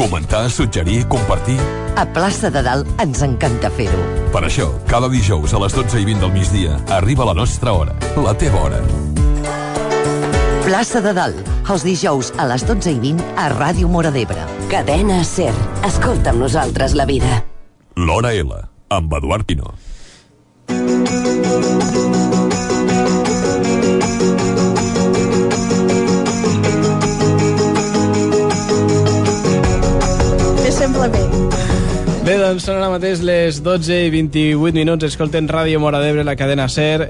Comentar, suggerir, compartir... A Plaça de Dalt ens encanta fer-ho. Per això, cada dijous a les 12:20 del migdia arriba la nostra hora, la teva hora. Plaça de Dalt, els dijous a les 12:20 a Ràdio Móra d'Ebre. Cadena SER. Escolta amb nosaltres la vida. L'Hora L, amb Eduard Pino. Sembla bé. Bé, doncs són ara mateix les 12:28. Escolten Ràdio Móra d'Ebre, la cadena SER.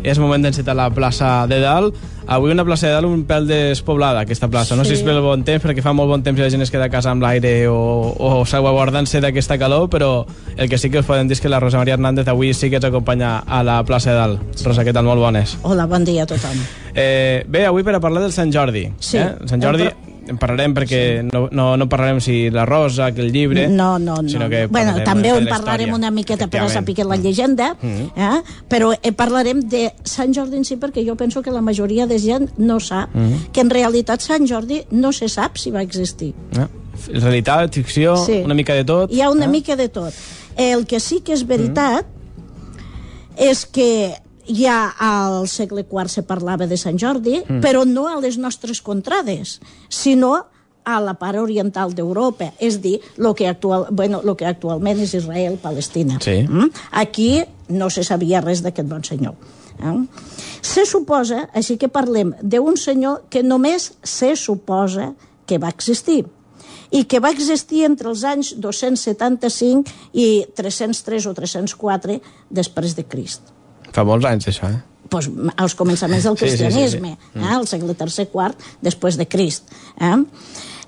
És moment d'encetar la plaça de Dalt. Avui una plaça de Dalt un pèl despoblada, aquesta plaça. No sé si és pel bon temps, perquè fa molt bon temps i la gent es queda a casa amb l'aire o salvaguardant-se d'aquesta calor, però el que sí que us podem dir és que la Rosa Maria Hernández avui sí que ens acompanya a la plaça de Dalt. Rosa, què tal? Molt bones. Hola, bon dia a tothom. Bé, avui per a parlar del Sant Jordi. Sí. Sant Jordi... En parlarem perquè no parlarem si la Rosa, que el llibre... No. Sinó que bueno, també en parlarem una miqueta per a saber la llegenda, però parlarem de Sant Jordi en si, perquè jo penso que la majoria de gent no sap que en realitat Sant Jordi no se sap si va existir. Realitat, ficció, una mica de tot. Hi ha una mica de tot. El que sí que és veritat és que ja al segle IV se parlava de Sant Jordi, però no a les nostres contrades, sinó a la part oriental d'Europa, és dir, el que actualment és Israel, Palestina. Sí. Aquí no se sabia res d'aquest bon senyor. Se suposa, així que parlem d'un senyor que només se suposa que va existir, i que va existir entre els anys 275 i 303 o 304 després de Crist. Fa molts anys, això, Pues, als començaments del cristianisme, al segle III-IV, després de Crist.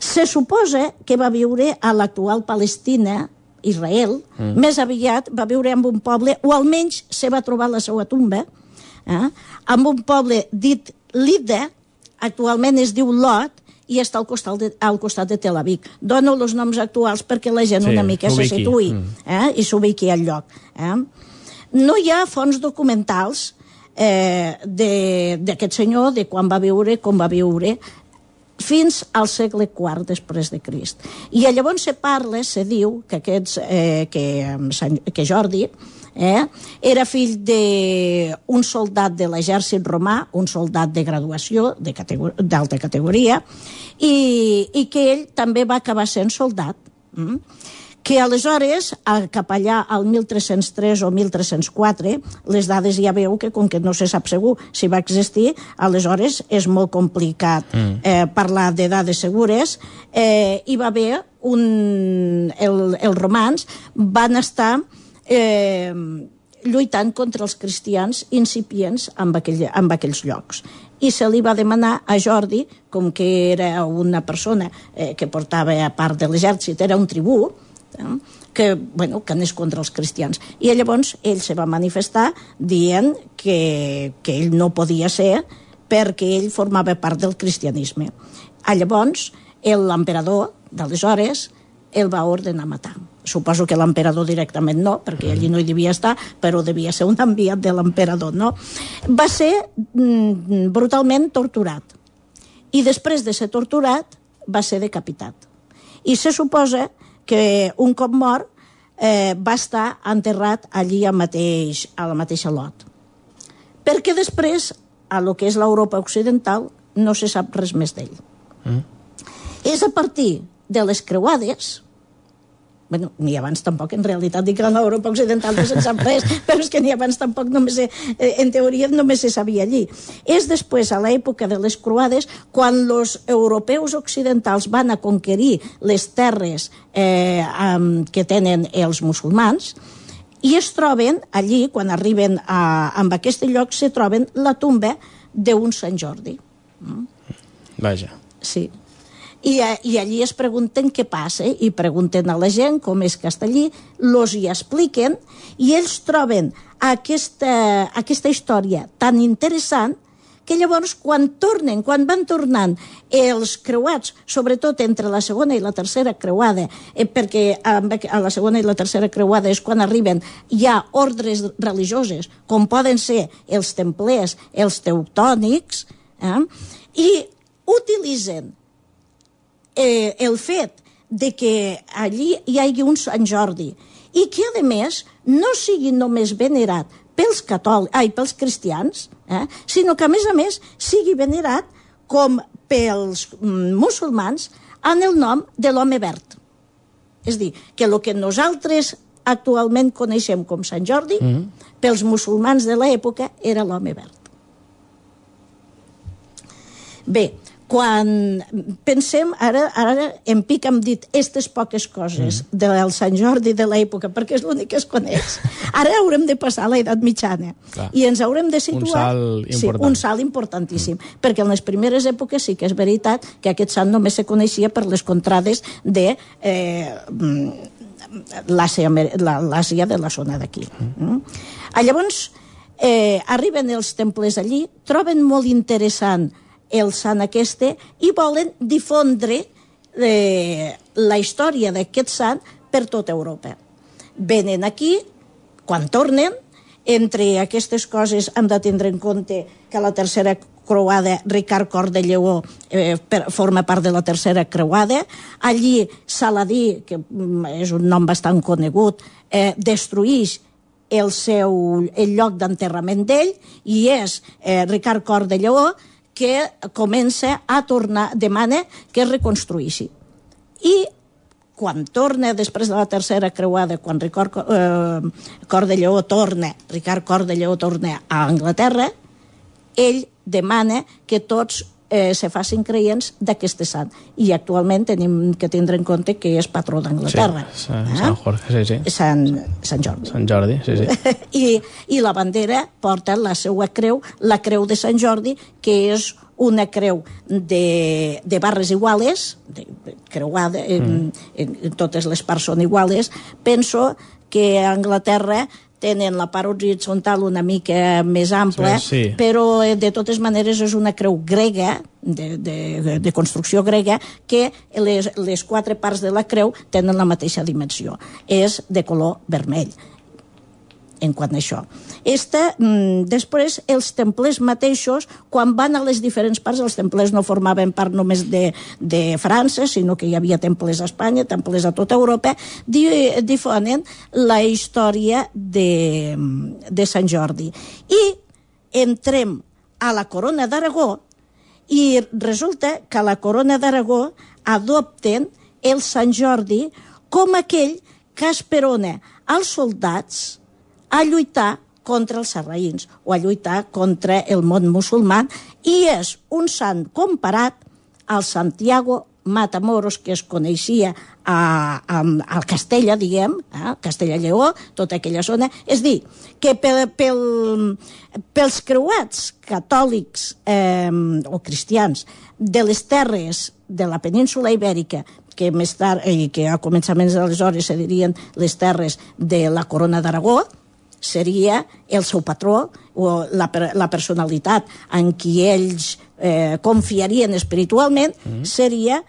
Se suposa que va viure a l'actual Palestina, Israel, més aviat va viure en un poble, o almenys se va trobar la seva tumba, en un poble dit Lida, actualment es diu Lot, i està al costat de Tel Aviv. Dono els noms actuals perquè la gent una mica se situï i s'ubiqui al lloc. No hi ha fonts documentals d'aquest senyor, de quan va viure, com va viure, fins al segle IV després de Crist. I llavors se diu que Jordi era fill d'un soldat de l'exèrcit romà, un soldat de graduació d'alta categoria, i que ell també va acabar sent soldat. Que aleshores, cap allà al 1303 o 1304, les dades ja veu que com que no se sap segur si va existir, aleshores és molt complicat parlar de dades segures, hi va haver els romans van estar lluitant contra els cristians incipients en aquells llocs. I se li va demanar a Jordi, com que era una persona que portava a part de l'exèrcit, era un tribú, que anés contra els cristians. I llavors ell se va manifestar dient que ell no podia ser perquè ell formava part del cristianisme. Llavors l'emperador d'aleshores el va ordenar matar. Suposo que l'emperador directament no, perquè allí no hi devia estar, però devia ser un enviat de l'emperador, no? Va ser brutalment torturat. I després de ser torturat va ser decapitat. I se suposa que un cop mort va estar enterrat allí a la mateixa Lot. Perquè després, a lo que és l'Europa occidental, no se sap res més d'ell. És a partir de les creuades, ni abans tampoc, en realitat dic que a l'Europa occidental no se'n sap res, però és que ni abans tampoc, en teoria només se sabia allí. És després, a l'època de les croades, quan els europeus occidentals van a conquerir les terres que tenen els musulmans, i es troben allí, quan arriben a aquest lloc, se troben la tumba d'un Sant Jordi. Vaja. Sí. I allí es pregunten què passa, i pregunten a la gent com és que està allí, els hi expliquen, i ells troben aquesta història tan interessant que llavors quan van tornant els creuats, sobretot entre la segona i la tercera creuada, perquè a la segona i la tercera creuada és quan arriben ja ordres religioses, com poden ser els templers, els teutònics, i utilitzen el fet de que allí hi hagi un Sant Jordi i que, a més, no sigui només venerat pels cristians, sinó que, a més, sigui venerat com pels musulmans en el nom de l'home verd. És a dir, que el que nosaltres actualment coneixem com Sant Jordi, pels musulmans de l'època era l'home verd. Bé, quan pensem, ara en pic hem dit aquestes poques coses del Sant Jordi de l'època, perquè és l'únic que es coneix. Ara haurem de passar a l'edat mitjana. Clar. I ens haurem de situar... Un salt important. Sí, un salt importantíssim. Perquè en les primeres èpoques sí que és veritat que aquest sant només se coneixia per les contrades de l'Àsia de la zona d'aquí. Llavors, arriben els temples allí, troben molt interessant el sant aquesta i volen difondre la història d'aquest sant per tota Europa. Venen aquí, quan tornen, entre aquestes coses hem de tindre en compte que la tercera creuada, Ricard Cor de Lleó forma part de la tercera creuada. Allí Saladí, que és un nom bastant conegut, destruïx el lloc d'enterrament d'ell i és Ricard Cor de Lleó que comença a tornar, demana que es reconstruïssi. I quan torna, després de la tercera creuada, quan Ricard Cor de Lleó torna a Anglaterra, ell demana que tots se facin creients d'aquest sant. I actualment tenim que tindre en compte que és patró d'Anglaterra. Sí, Sant Jordi, sí. Sant Jordi. Sant Jordi, sí. I la bandera porta la seva creu, la creu de Sant Jordi, que és una creu de barres iguales, creuada, totes les parts són iguales. Penso que a Anglaterra tenen la part horitzontal una mica més ampla, sí. Però de totes maneres és una creu grega, de construcció grega, que les 4 parts de la creu tenen la mateixa dimensió. És de color vermell, en quant a això. Després, els templers mateixos, quan van a les diferents parts, els templers no formaven part només de França, sinó que hi havia temples a Espanya, temples a tota Europa, difonen la història de Sant Jordi. I entrem a la Corona d'Aragó i resulta que a la Corona d'Aragó adopten el Sant Jordi com aquell que esperona als soldats a lluitar contra els sarraïns o a lluitar contra el món musulmà i és un sant comparat al Santiago Matamoros que es coneixia al Castella, diguem, Castella-Lleó, tota aquella zona. És dir, que pels creuats catòlics o cristians de les terres de la península Ibèrica, que més tard, que a començaments d'aleshores se dirien les terres de la Corona d'Aragó, seria el seu patró o la personalitat en qui ells confiarien espiritualment, seria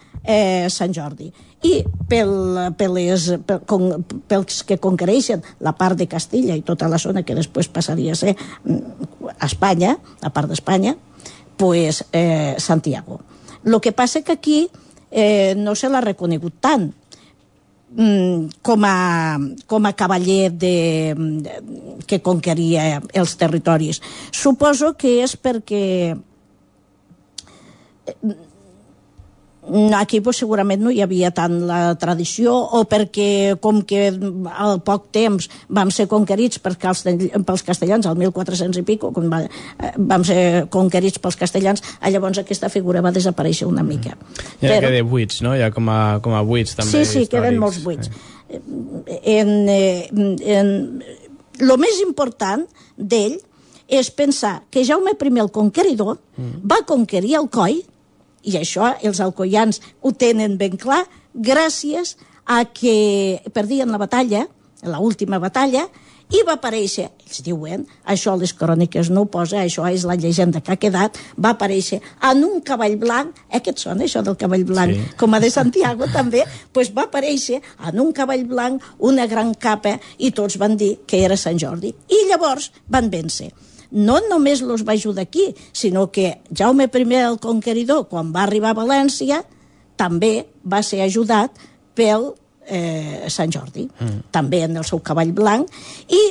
Sant Jordi. I pels que conquereixen la part de Castilla i tota la zona que després passaria a ser Espanya, la part d'Espanya, pues Santiago. El que passa que aquí no se l'ha reconegut tant com a cavaller que conqueria els territoris. Suposo que és perquè aquí segurament no hi havia tant la tradició o perquè com que al poc temps vam ser conquerits pels castellans, al 1400 i pico, quan vam ser conquerits pels castellans, llavors aquesta figura va desaparèixer una mica. Hi ha queden buits, no? Hi ha com a buits també històrics. Sí, queden molts buits. El més important d'ell és pensar que Jaume I el Conqueridor va conquerir Alcoi, i això els alcoians ho tenen ben clar, gràcies a que perdien la batalla, l'última batalla, i va aparèixer, ells diuen, això les cròniques no ho posa, això és la llegenda que ha quedat, va aparèixer en un cavall blanc, què et sona això del cavall blanc? Sí. Com a de Santiago també, doncs va aparèixer en un cavall blanc, una gran capa, i tots van dir que era Sant Jordi. I llavors van vèncer. No només els va ajudar aquí, sinó que Jaume I el Conqueridor, quan va arribar a València, també va ser ajudat pel Sant Jordi, també en el seu cavall blanc, i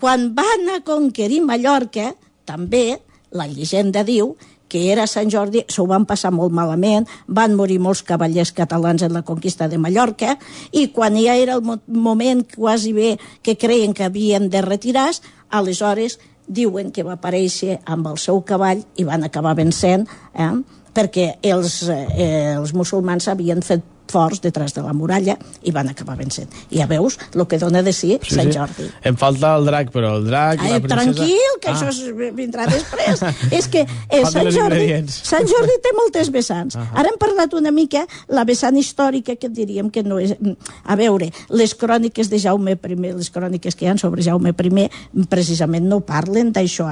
quan van a conquerir Mallorca, també la llegenda diu que era Sant Jordi, s'ho van passar molt malament, van morir molts cavallers catalans en la conquista de Mallorca, i quan ja era el moment quasi bé que creien que havien de retirar, aleshores diuen que va aparèixer amb el seu cavall i van acabar vencent, perquè els musulmans havien fet forts detrás de la muralla i van acabar vencent. I ja veus el que dona de si Sant Jordi. Em falta el drac, però el drac i la princesa... Tranquil, que això vindrà després. És que Sant Jordi té moltes vessants. Ara hem parlat una mica la vessant històrica, que diríem que no és... A veure, les cròniques de Jaume I, les cròniques que hi ha sobre Jaume I, precisament no parlen d'això,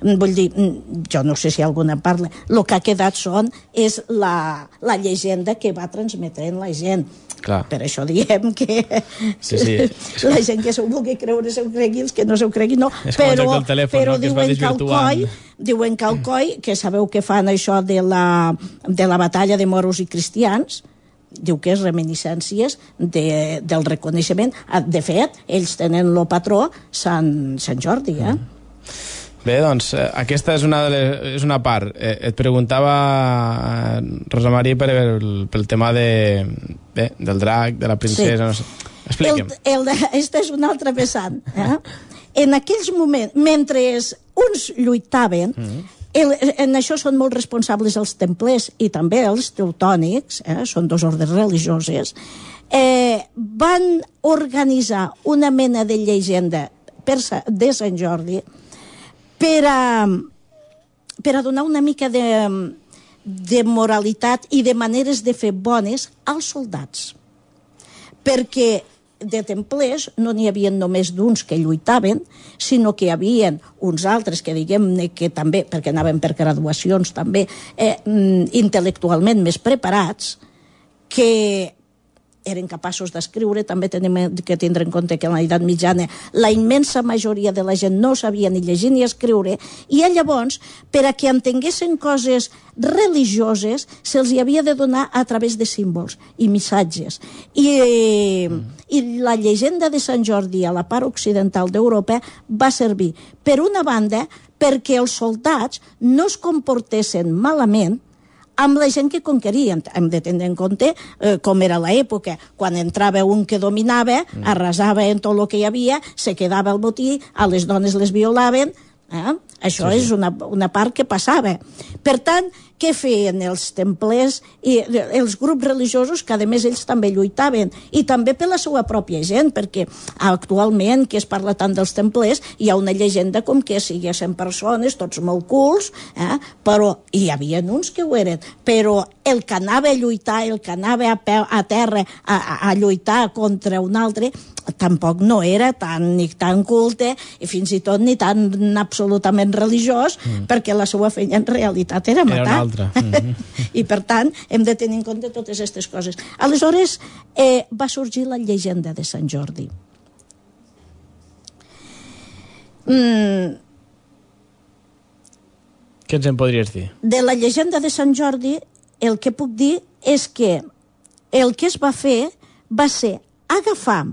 Vull dir, jo no sé si alguna parla. El que ha quedat és la llegenda que va transmetre la gent. Clar. Per això diem que la gent que s'ho vulgui creure s'ho cregui, els que no s'ho cregui no, però diuen que al coi, que sabeu que fan això de la batalla de moros i cristians, diu que és reminiscències del reconeixement. De fet, ells tenen el patró Sant Jordi, Bé, doncs, aquesta és una part. Et preguntava, Rosa Maria, pel tema del drac, de la princesa... Sí. No sé. Expliquem. Aquesta és una altra vessant. En aquells moments, mentre uns lluitaven, en això són molt responsables els templers i també els teutònics, són dos ordres religioses, van organitzar una mena de llegenda de Sant Jordi per a donar una mica de moralitat i de maneres de fer bones als soldats. Perquè de templers no n'hi havia només d'uns que lluitaven, sinó que hi havia uns altres que diguem-ne que també, perquè anaven per graduacions també, intel·lectualment més preparats, que eren capaços d'escriure. També tenim que tindre en compte que en l'edat mitjana la immensa majoria de la gent no sabia ni llegir ni escriure, i llavors, per a que entenguessin coses religioses, se'ls hi havia de donar a través de símbols i missatges. I la llegenda de Sant Jordi a la part occidental d'Europa va servir, per una banda, perquè els soldats no es comportessin malament amb la gent que conquerien. Hem de tenir en compte com era l'època. Quan entrava un que dominava, arrasava en tot el que hi havia, se quedava el botí, a les dones les violaven. Això és una part que passava. Per tant, què feien els templers i els grups religiosos, que a més ells també lluitaven, i també per la seva pròpia gent, perquè actualment, que es parla tant dels templers, hi ha una llegenda com que siguessin persones, tots molt cults, però hi havia uns que ho eren, però el que anava a lluitar, el que anava a terra a lluitar contra un altre, tampoc no era ni tan culte i fins i tot ni tan absolutament religiós, perquè la seva feina en realitat era matar. I per tant hem de tenir en compte totes aquestes coses. Aleshores va sorgir la llegenda de Sant Jordi. Què ens en podries dir? De la llegenda de Sant Jordi el que puc dir és que el que es va fer va ser agafar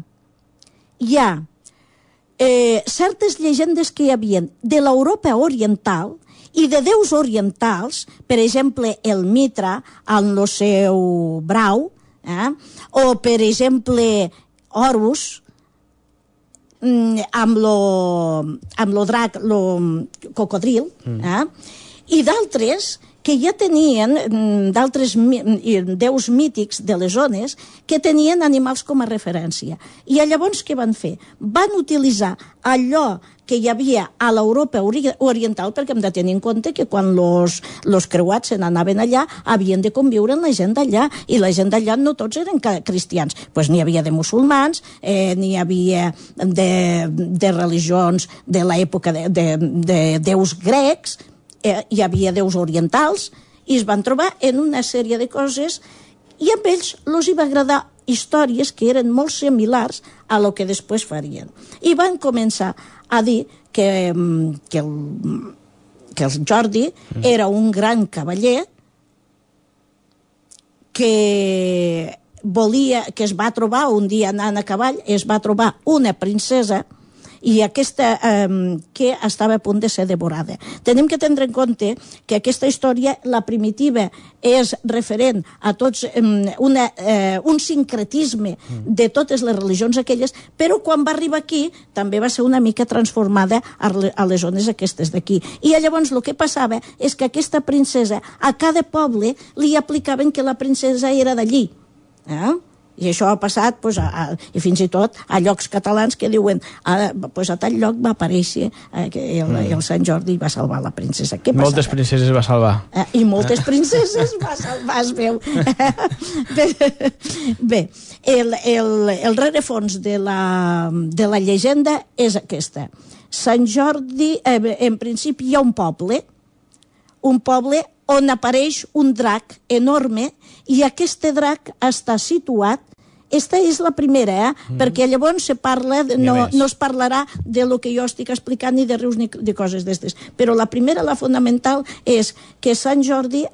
ja certes llegendes que hi havia de l'Europa oriental i de déus orientals, per exemple, el Mitra amb el seu brau, o, per exemple, Horus, amb lo drac, lo cocodril, i d'altres que ja tenien, d'altres déus mítics de les zones, que tenien animals com a referència. I llavors què van fer? Van utilitzar allò que hi havia a l'Europa oriental, perquè hem de tenir en compte que quan los creuats se n'anaven allà havien de conviure amb la gent d'allà, i la gent d'allà no tots eren cristians, doncs n'hi havia de musulmans, n'hi havia de religions de l'època de déus grecs, hi havia déus orientals, i es van trobar en una sèrie de coses, i a ells els hi va agradar històries que eren molt similars a lo que després farien. I van començar a dir que el Jordi era un gran cavaller que que es va trobar un dia anant a cavall, es va trobar una princesa i aquesta que estava a punt de ser devorada. Tenim que tindre en compte que aquesta història, la primitiva, és referent a tots un sincretisme de totes les religions aquelles, però quan va arribar aquí també va ser una mica transformada a les zones aquestes d'aquí. I llavors el que passava és que aquesta princesa a cada poble li aplicaven que la princesa era d'allí. I això ha passat, i fins i tot a llocs catalans que diuen a tal lloc va aparèixer el Sant Jordi i va salvar la princesa. Moltes princeses va salvar. I moltes princeses va salvar, es veu. Bé, el rerefons de la llegenda és aquesta. Sant Jordi, en principi hi ha un poble on apareix un drac enorme i aquest drac està situat. Esta és la primera, perquè llavors se parla, no es parlarà de lo que jo estic explicant ni de rius ni de coses d'estes, però la primera, la fonamental, és que Sant Jordi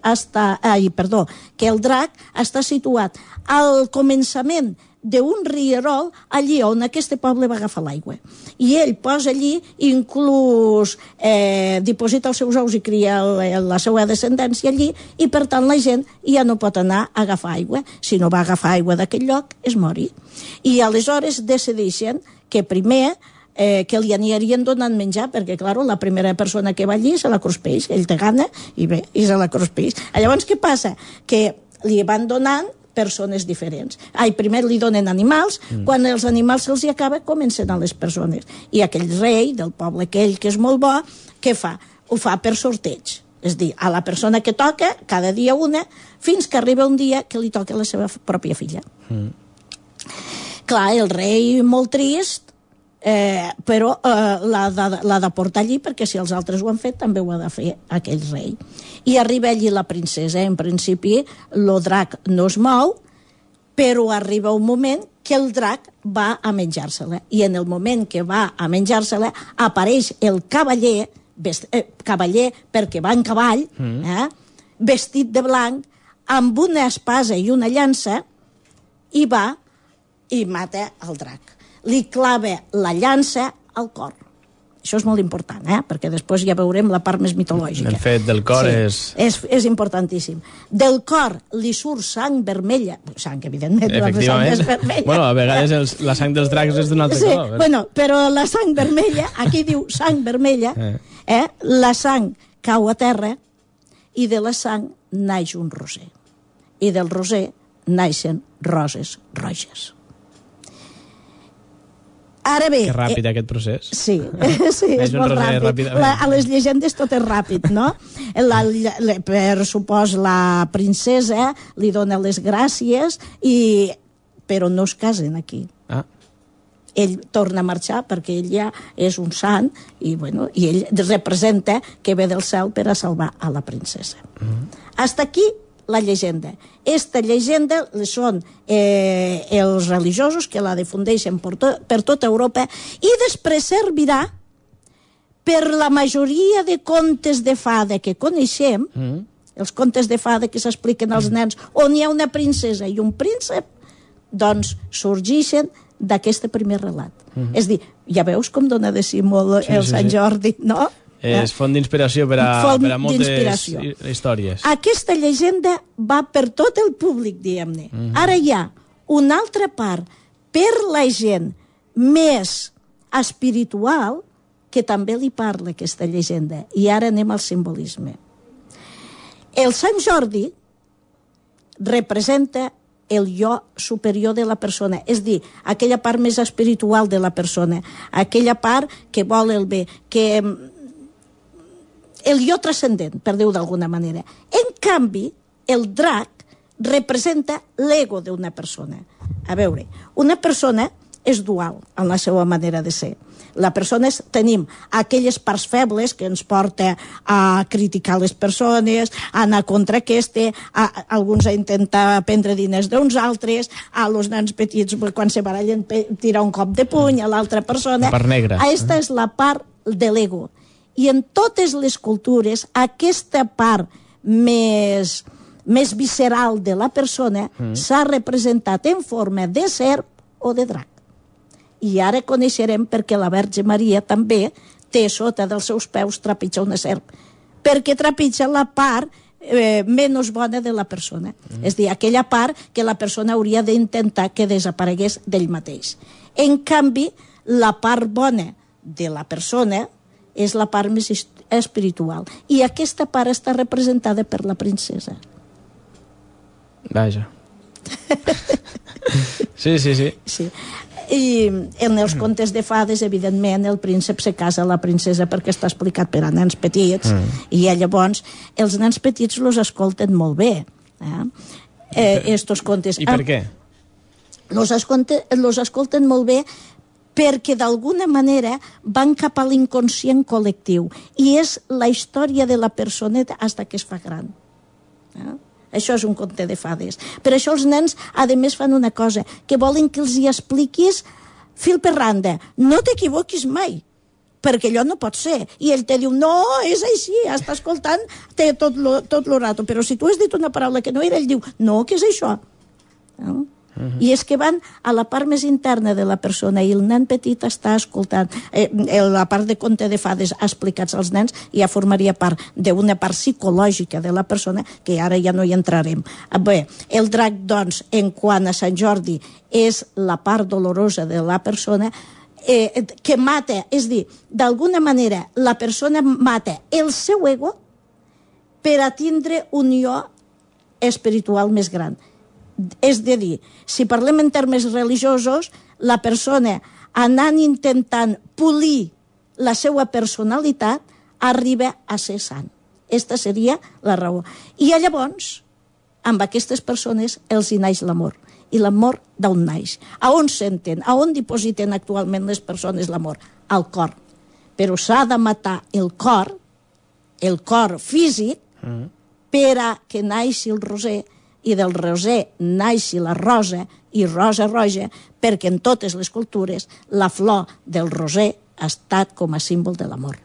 que el drac està situat al començament d'un rierol allí on aquest poble va agafar l'aigua. I ell posa allí, inclús diposita els seus ous i cria la seva descendència allí, i per tant la gent ja no pot anar a agafar aigua. Si no va agafar aigua d'aquell lloc, es mori. I aleshores decideixen que primer que li anirien donant menjar, perquè, clar, la primera persona que va allí se la cruspeix, ell té gana, i se la cruspeix. Llavors, què passa? Que li van donant persones diferents. Primer li donen animals, quan els animals se'ls acaba, comencen a les persones. I aquell rei del poble aquell que és molt bo, què fa? Ho fa per sorteig. És dir, a la persona que toca, cada dia una, fins que arriba un dia que li toca la seva pròpia filla. Clar, el rei molt trist, però l'ha de portar allí, perquè si els altres ho han fet també ho ha de fer aquell rei. I arriba allí la princesa. En principi el drac no es mou, però arriba un moment que el drac va a menjar-se-la, i en el moment que va a menjar-se-la apareix el cavaller perquè va en cavall, vestit de blanc, amb una espasa i una llança, i va i mata el drac. Li clava la llança al cor. Això és molt important, perquè després ja veurem la part més mitològica. El fet del cor és importantíssim. Del cor li surt sang vermella. Sang, evidentment, efectivament. La sang és vermella. Bueno, a vegades la sang dels dracs és d'un altre color. Bueno, però la sang vermella, aquí diu sang vermella, la sang cau a terra i de la sang naix un roser. I del roser naixen roses roges. Ara bé... Que ràpid aquest procés. Sí, és molt ràpid. A les llegendes tot és ràpid, no? Per supòs, la princesa li dona les gràcies, però no es casen aquí. Ell torna a marxar perquè ell ja és un sant i ell representa que ve del cel per a salvar a la princesa. Hasta aquí la llegenda. Esta llegenda són els religiosos que la difundeixen per tota Europa i després servirà per la majoria de contes de fada que coneixem, els contes de fada que s'expliquen als nens, on hi ha una princesa i un príncep, doncs sorgeixen d'aquest primer relat. És dir, ja veus com dona de si molt el Sant Jordi, no? És font d'inspiració per a moltes històries. Aquesta llegenda va per tot el públic, diguem-ne. Ara hi ha una altra part per la gent més espiritual que també li parla aquesta llegenda. I ara anem al simbolisme. El Sant Jordi representa el jo superior de la persona, és dir, aquella part més espiritual de la persona, aquella part que vol el bé, que el jo transcendent, per dir-ho d'alguna manera. En canvi, el drac representa l'ego d'una persona. A veure, una persona és dual en la seva manera de ser. La persona tenim aquelles parts febles que ens porta a criticar les persones, a anar contra alguns a intentar prendre diners d'uns altres, a los nens petits quan se barallen tirar un cop de puny a l'altra persona. La part negra. Aquesta és la part de l'ego. I en totes les cultures aquesta part més més visceral de la persona s'ha representat en forma de serp o de drac. I ara coneixerem perquè la Verge Maria també té sota dels seus peus trepitja una serp, perquè trepitja la part menys bona de la persona. És a dir, aquella part que la persona hauria d'intentar que desaparegués d'ell mateix. En canvi, la part bona de la persona és la part més espiritual. I aquesta part està representada per la princesa. Vaja. Sí. I en els contes de fades, evidentment, el príncep se casa a la princesa perquè està explicat per a nens petits, i llavors els nens petits los escolten molt bé. Estos contes. I per què? Los escolten molt bé perquè d'alguna manera van cap a l'inconscient col·lectiu i és la història de la personeta fins que es fa gran. Això és un conte de fades. Per això els nens, a més, fan una cosa, que volen que els hi expliquis fil per randa. No t'equivoquis mai, perquè allò no pot ser. I ell te diu, no, és així, està escoltant tot lo rato. Però si tu has dit una paraula que no era, ell diu, no, què és això? No? I és que van a la part més interna de la persona i el nen petit està escoltant. La part de conte de fades explicats als nens ja formaria part d'una part psicològica de la persona que ara ja no hi entrarem. Bé, el drac, doncs, en quant a Sant Jordi, és la part dolorosa de la persona que mata, és dir, d'alguna manera la persona mata el seu ego per a tindre unió espiritual més gran. És a dir, si parlem en termes religiosos, la persona anant intentant polir la seva personalitat arriba a ser sant. Aquesta seria la raó. I llavors, amb aquestes persones els hi naix l'amor. I l'amor d'on naix? A on senten? A on dipositen actualment les persones l'amor? Al cor. Però s'ha de matar el cor físic, per a que naixi el roser, i del roser naixi la rosa i rosa roja, perquè en totes les cultures la flor del roser ha estat com a símbol de l'amor.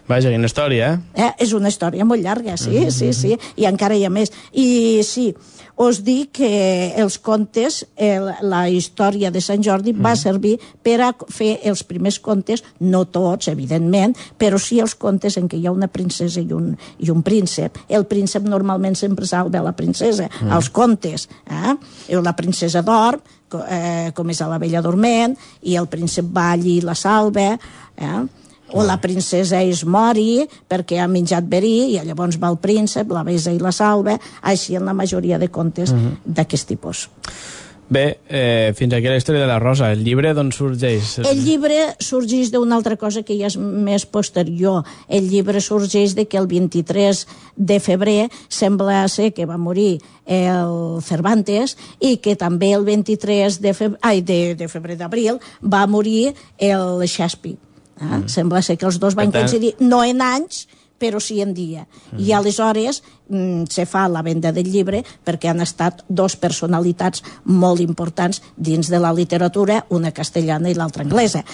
Vaja, quina història, És una història molt llarga, sí, i encara hi ha més. I sí, us dic que els contes, la història de Sant Jordi va servir per a fer els primers contes, no tots, evidentment, però sí els contes en què hi ha una princesa i un príncep. El príncep normalment sempre salva la princesa, als contes. La princesa dorm, com és a la Bella Dorment, i el príncep va allí i la salva, o la princesa es mori perquè ha menjat verí i llavors va el príncep, la besa i la salva, així en la majoria de contes d'aquest tipus. Bé, fins aquí la història de la Rosa. El llibre d'on sorgeix? El llibre sorgeix d'una altra cosa que ja és més posterior. El llibre sorgeix de que el 23 de febrer sembla ser que va morir el Cervantes i que també el 23 de febrer d'abril va morir el Shakespeare. Sembla ser que els dos van coincidir, no en anys, però sí en dia. I aleshores se fa la venda del llibre perquè han estat dos personalitats molt importants dins de la literatura, una castellana i l'altra anglesa.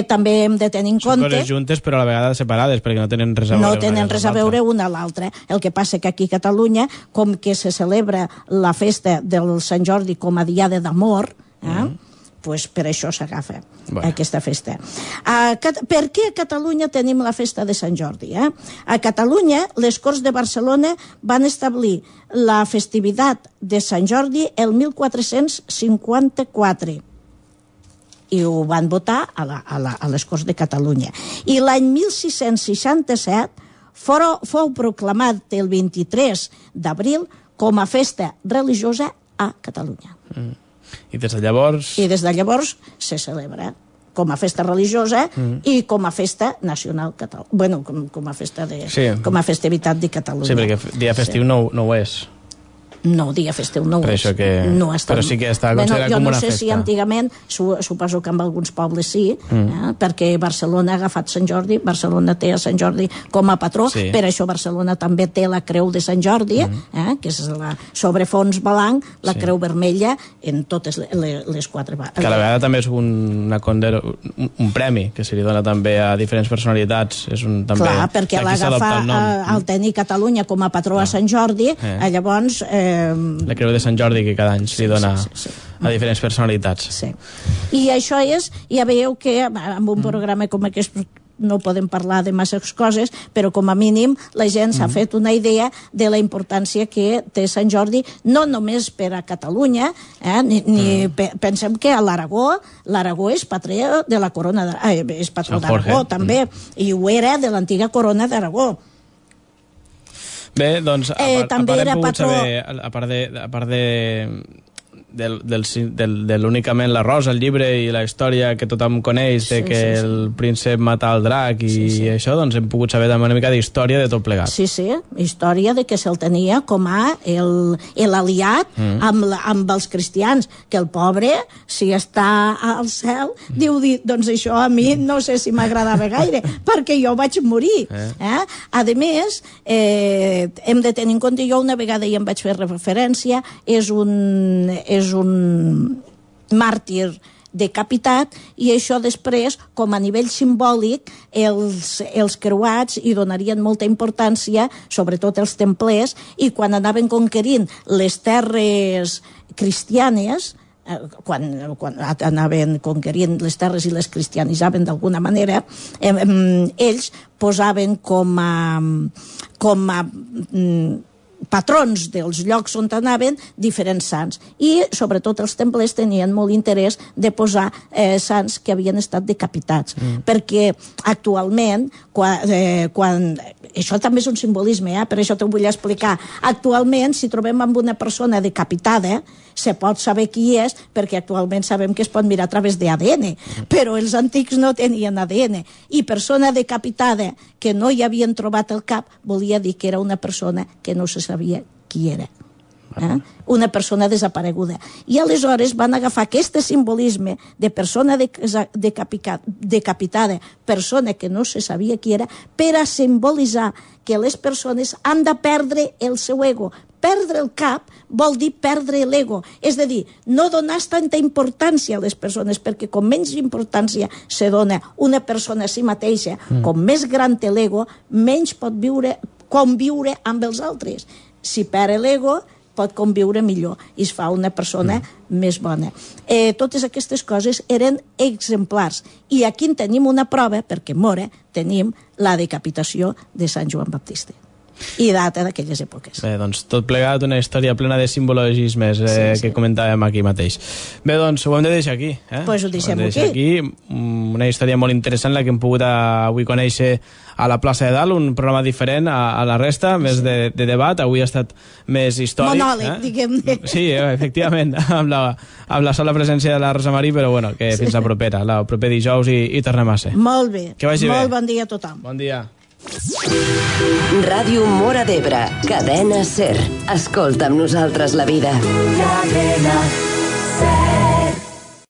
També hem de tenir en compte... Són coses juntes però a la vegada separades perquè no tenen res a veure. No tenen res a veure una a l'altra. El que passa que aquí a Catalunya, com que se celebra la festa del Sant Jordi com a diada d'amor, pues per això s'agafa aquesta festa. Per què a Catalunya tenim la festa de Sant Jordi? A Catalunya, les Corts de Barcelona van establir la festivitat de Sant Jordi el 1454 i ho van votar a les Corts de Catalunya. I l'any 1667 fou proclamat el 23 d'abril com a festa religiosa a Catalunya. I des de llavors se celebra com a festa religiosa i com a festa nacional catalana. Bueno, com a festa com a festivitat de Catalunya. Sí, perquè dia festiu no ho és. No, dia festiu no Per és. això que... No està... Però sí que està considerat com una festa. Jo no sé si antigament, suposo que en alguns pobles sí, perquè Barcelona ha agafat Sant Jordi, Barcelona té a Sant Jordi com a patró, per això Barcelona també té la Creu de Sant Jordi, que és sobre fons blanc, la Creu vermella en totes les 4 barres. Que a la vegada també és un premi que se li dona també a diferents personalitats. Clar, perquè l'agafar al tenir Catalunya com a patró a Sant Jordi, llavors... La Creu de Sant Jordi que cada any se li dona a diferents personalitats. Sí. I això és, ja veieu que amb un programa com aquest no podem parlar de masses coses, però com a mínim la gent s'ha fet una idea de la importància que té Sant Jordi, no només per a Catalunya, pensem que a l'Aragó és patró de la corona, és patró d'Aragó també, i ho era de l'antiga corona d'Aragó. Bé, doncs, també era patró... a part de l'únicament la Rosa, el llibre i la història que tothom coneix de que el príncep mata el drac i això, doncs hem pogut saber també una mica d'història de tot plegat. Sí, història de que se'l tenia com a l'aliat amb els cristians, que el pobre, si està al cel, diu, doncs això a mi no sé si m'agradava gaire, perquè jo vaig morir. A més, hem de tenir en compte, jo una vegada ja em vaig fer referència, és un màrtir decapitat, i això després, com a nivell simbòlic, els creuats hi donarien molta importància, sobretot els templers, i quan anaven conquerint les terres cristianes, quan anaven conquerint les terres i les cristianitzaven d'alguna manera, ells posaven com a patrons dels llocs on anaven diferents sants, i sobretot els templers tenien molt interès de posar sants que havien estat decapitats, perquè actualment quan això també és un simbolisme, per això t'ho vull explicar. Actualment, si trobem amb una persona decapitada, se pot saber qui és, perquè actualment sabem que es pot mirar a través d'ADN, però els antics no tenien ADN, i persona decapitada que no hi havien trobat el cap volia dir que era una persona que no se sabia qui era. Una persona desapareguda. I aleshores van agafar aquest simbolisme de persona decapitada, persona que no se sabia qui era, per a simbolitzar que les persones han de perdre el seu ego. Perdre el cap vol dir perdre l'ego, és a dir, no donar tanta importància a les persones, perquè com menys importància se dona una persona a si mateixa, com més gran té l'ego, menys pot conviure amb els altres. Si perd l'ego, pot conviure millor i es fa una persona més bona. Totes aquestes coses eren exemplars, i aquí en tenim una prova, perquè mora, tenim la decapitació de Sant Joan Baptista i data d'aquelles èpoques. Bé, doncs tot plegat una història plena de simbologismes que comentàvem aquí mateix. Bé, doncs ho hem de deixar aquí. Doncs ho deixem aquí. Una història molt interessant la que hem pogut avui conèixer a la plaça de Dalt, un programa diferent a la resta, més de debat. Avui ha estat més històric. Monòleg, diguem-ne. Sí, efectivament, amb la sola presència de la Rosa Marí, però bueno, que fins la propera, el proper dijous i tornem a ser. Molt bé. Que vagi bé. Molt bon dia a tothom. Bon dia. Ràdio Móra d'Ebre, cadena SER. Escolta amb nosaltres la vida. Cadena SER.